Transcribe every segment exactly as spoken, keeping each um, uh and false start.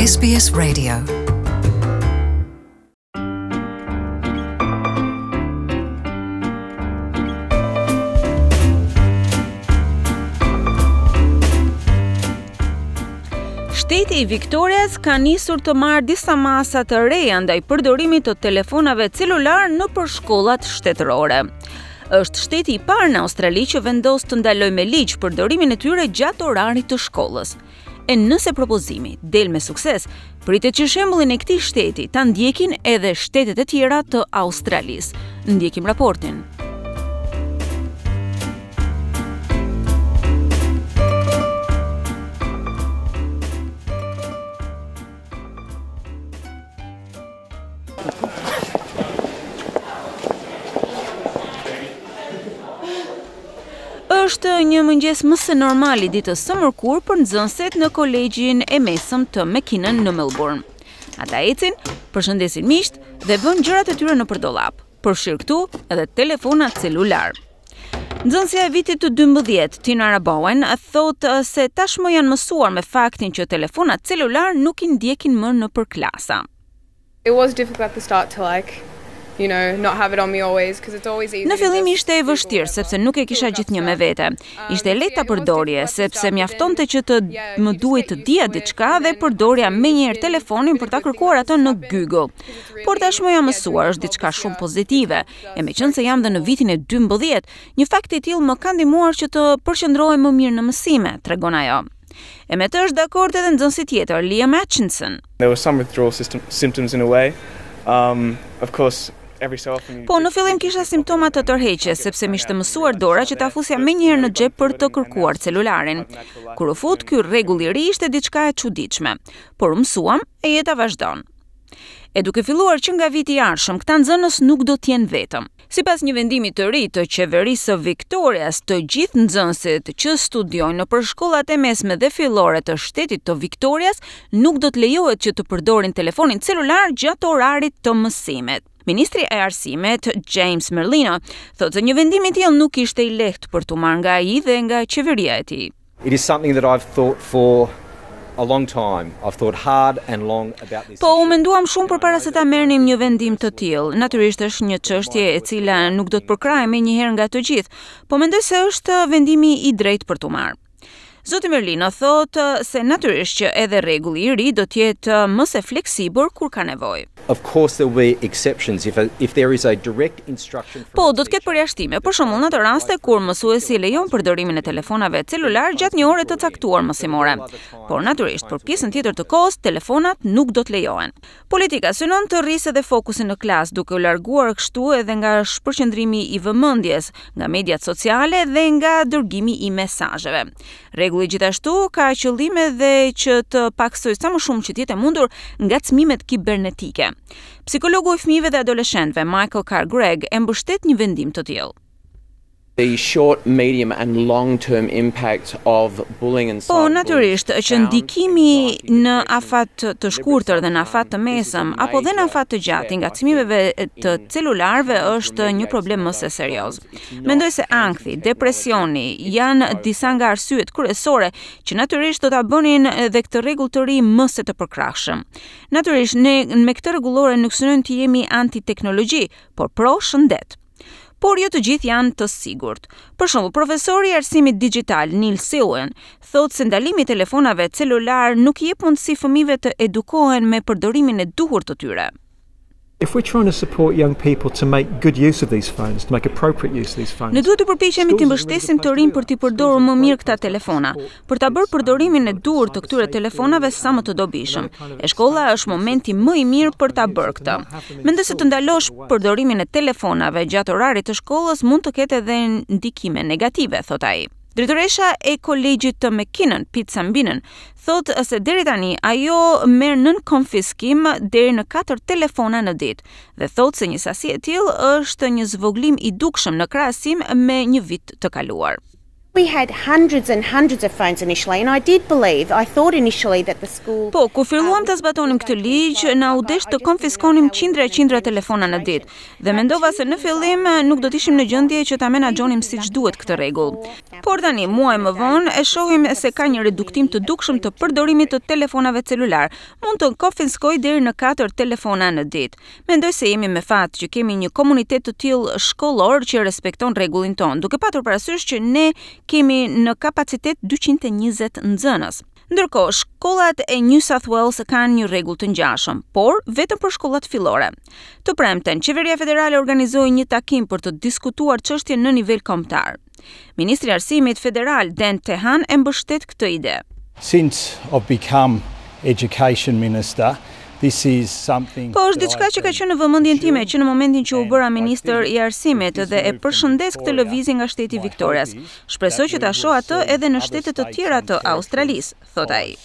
S B S Radio. Shteti i Victorias ka nisur të marrë disa masa të reja ndaj përdorimit të telefonave celular nëpër shkollat shtetërore. Është shteti i parë në Australi që vendos të ndalojë me ligj përdorimin e tyre gjatë orarit të shkollës. E nëse propozimi del me sukses, pritet që shembullin e këtij shteti ta ndjekin edhe shtetet e tjera të Australisë. Ndjekim raportin. Është një mëngjes më se normal i ditës së mërkurë për nxënësit në kolegjin e mesëm të McKinnon në Melbourne. Ata ecin, përshëndesin miqt dhe vënë gjërat e tyre nëpër dollap, përfshirë këtu edhe telefonat celular. Nxënësja e vitit të dymbëdhjetë, Tina Rabowen, thotë se tashmë janë mësuar me faktin që telefonat celular nuk i ndjekin më nëpër klasa. It was difficult at the start to like, you know, not have it on me always because it's always easy. Në fillim ishte e vështirë sepse nuk e kisha gjithnjë me vete. Ishte e lehtë ta përdorje sepse mjaftonte që të më duhej të dija diçka dhe përdorja menjëherë telefonin për ta kërkuar atë në Google. Por tashmë jam mësuar, është diçka shumë pozitive. E meqenëse jam dhe në vitin e dymbëdhjetë, një fakt i tillë më ka ndihmuar që të përqendrohem më mirë në mësime, tregon ajo. E me të është dakord edhe nxënësi tjetër, Liam Atchinson. There were some withdrawal system, symptoms in a way. Um, of course, every so often you Po, në fillim kisha simptoma të tërheqjes, sepse m'ishte mësuar dora që ta fusja menjëherë në xhep për të kërkuar celularin. Kur u fut, ky rregull i ri ishte diçka e çuditshme, por u mësuam e jeta vazhdon. E duke filluar që nga viti i ardhshëm, këta nxënës nuk do të jenë vetëm. Sipas një vendimi të ri të qeverisë së Victorias, të gjithë nxënësit që studiojnë nëpër shkollat e mesme dhe fillore të shtetit të Victorias nuk do të lejohet që të përdorin telefonin celular gjatë orarit të mësimit. Ministri e Arsimit, James Merlino, thotë se një vendim i tillë nuk ishte i lehtë për t'u marrë nga ai dhe nga qeveria e tij. It is something that I've thought for a long time. I've thought hard and long about this. Po, u menduam shumë përpara se ta merrnim një vendim të tillë. Natyrisht është një çështje e cila nuk do të përkrahej menjëherë nga të gjithë, po mendoj se është vendimi i drejtë për t'u marrë. Zoti Merlino thotë se natyrisht që edhe rregulli i ri do të jetë më se fleksibël kur ka nevojë. Of course there will be exceptions if a, if there is a direct instruction from Po, do të ketë përjashtime, për shembull në ato raste kur mësuesi lejon përdorimin e telefonave celular gjatë një ore të caktuar mësimore. Por natyrisht, për pjesën tjetër të kohës, telefonat nuk do të lejohen. Politika synon të rrisë edhe fokusin në klasë, duke u larguar kështu edhe nga shpërqendrimi i vëmendjes, nga mediat sociale dhe nga dërgimi i mesazheve. Rregulli gjithashtu ka qëllim edhe që të paksojë sa më shumë që të jetë e mundur ngacmimet kibernetike. Psikologu i fëmijëve dhe adoleshentëve Michael Carr Gregg e mbështet një vendim të tillë. The short, medium and long-term impact of bullying and Po, natyrisht që ndikimi në afat të shkurtër dhe në afat të mesëm apo dhe në afat të gjatë i ngacmimeve të celularëve është një problem më se serioz. Mendoj se ankthi, depresioni janë disa nga arsyet kryesore që natyrisht do ta bënin edhe këtë rregull të ri më se të përkrahshëm. Natyrisht ne me këtë rregullore nuk synojmë të jemi anti-teknologji, por pro shëndet. Por jo të gjithë janë të sigurt. Për shembull, profesori i arsimit digital Neil Silwen thotë se ndalimi i telefonave celular nuk i jep mundësi fëmijëve të edukohen me përdorimin e duhur të tyre. If we're trying to support young people to make good use of these phones, to make appropriate use of these phones. Ne duhet të përpiqemi të mbështesim të rinj për t'i përdorur më mirë këta telefona, për ta bërë përdorimin e duhur të këtyre telefonave sa më të dobishëm. E shkolla është momenti më i mirë për ta bërë këtë. Mendoj se të ndalosh përdorimin e telefonave gjatë orarit të shkollës mund të ketë edhe ndikime negative, thot ai. Drejtoresha e kolegjit të McKinnon, Pete Sambinen, thotë se deri tani ajo merr nën konfiskim deri në katër telefona në ditë dhe thotë se një sasi e tillë është një zvogëlim i dukshëm në krahasim me një vit të kaluar. We had hundreds and hundreds of phones initially, and I did believe, I thought initially that the school Po, kur filluam të zbatonim këtë ligj, na u desh të konfiskonim qindra e qindra telefona në ditë dhe mendova se në fillim nuk do të ishim në gjendje që ta menaxhonim siç duhet këtë rregull. Por tani, muaj më vonë, e shohim se ka një reduktim të dukshëm të përdorimit të telefonave celular. Mund të konfiskoj deri në katër telefona në ditë. Mendoj se jemi me fat që kemi një komunitet të tillë shkollor që respekton rregullin tonë, duke patur parasysh që ne kemi në kapacitet dyqind e njëzet nxënës. Ndërkohë, shkollat e New South Wales kanë një rregull të ngjashëm, por vetëm për shkollat fillore. Të premten, qeveria federale organizoi një takim për të diskutuar çështjen në nivel kombëtar. Ministri i Arsimit Federal Dan Tehan e mbështet këtë ide. Since I've become education minister, this is something Po, është diçka që ka qenë në vëmendjen time që në momentin që u bëra ministër i arsimit dhe e përshëndes këtë lëvizje nga shteti i Victorias. Shpresoj që ta shoh atë edhe në shtete të tjera të Australisë, thot ai.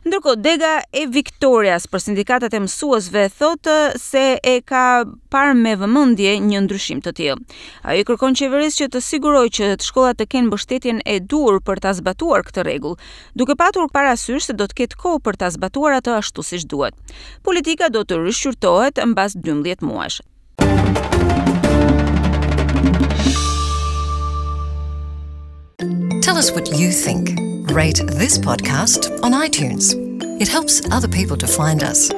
Ndërkohë, dega e Victorias për sindikatat e mësuesve thotë se e ka parë me vëmendje një ndryshim të tillë. Ajo i kërkon qeverisë që të sigurojë që të shkollat të kenë mbështetjen e duhur për ta zbatuar këtë rregull, duke patur parasysh se do të ketë kohë për ta zbatuar atë ashtu siç duhet. Politika do të rishqyrtohet mbas dymbëdhjetë muajsh. Tell us what you think. Rate this podcast on iTunes. It helps other people to find us.